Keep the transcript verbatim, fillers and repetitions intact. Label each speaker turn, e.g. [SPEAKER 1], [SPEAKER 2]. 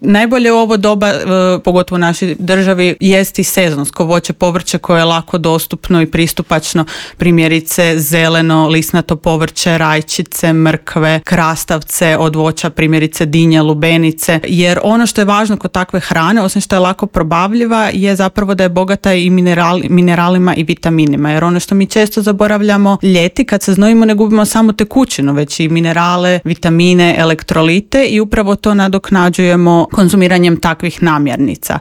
[SPEAKER 1] Najbolje u ovo doba, pogotovo u našoj državi, jest i sezonsko voće, povrće koje je lako dostupno i pristupačno, primjerice zeleno, lisnato povrće, rajčice, mrkve, krastavce od voća, primjerice dinje, lubenice, jer ono što je važno kod takve hrane, osim što je lako probavljiva, je zapravo da je bogata i mineral, mineralima i vitaminima, jer ono što mi često zaboravljamo ljeti, kad se znojimo ne gubimo samo tekućinu, već i minerale, vitamine, elektrolite i upravo to nadoknađujemo konzumiranjem takvih namirnica.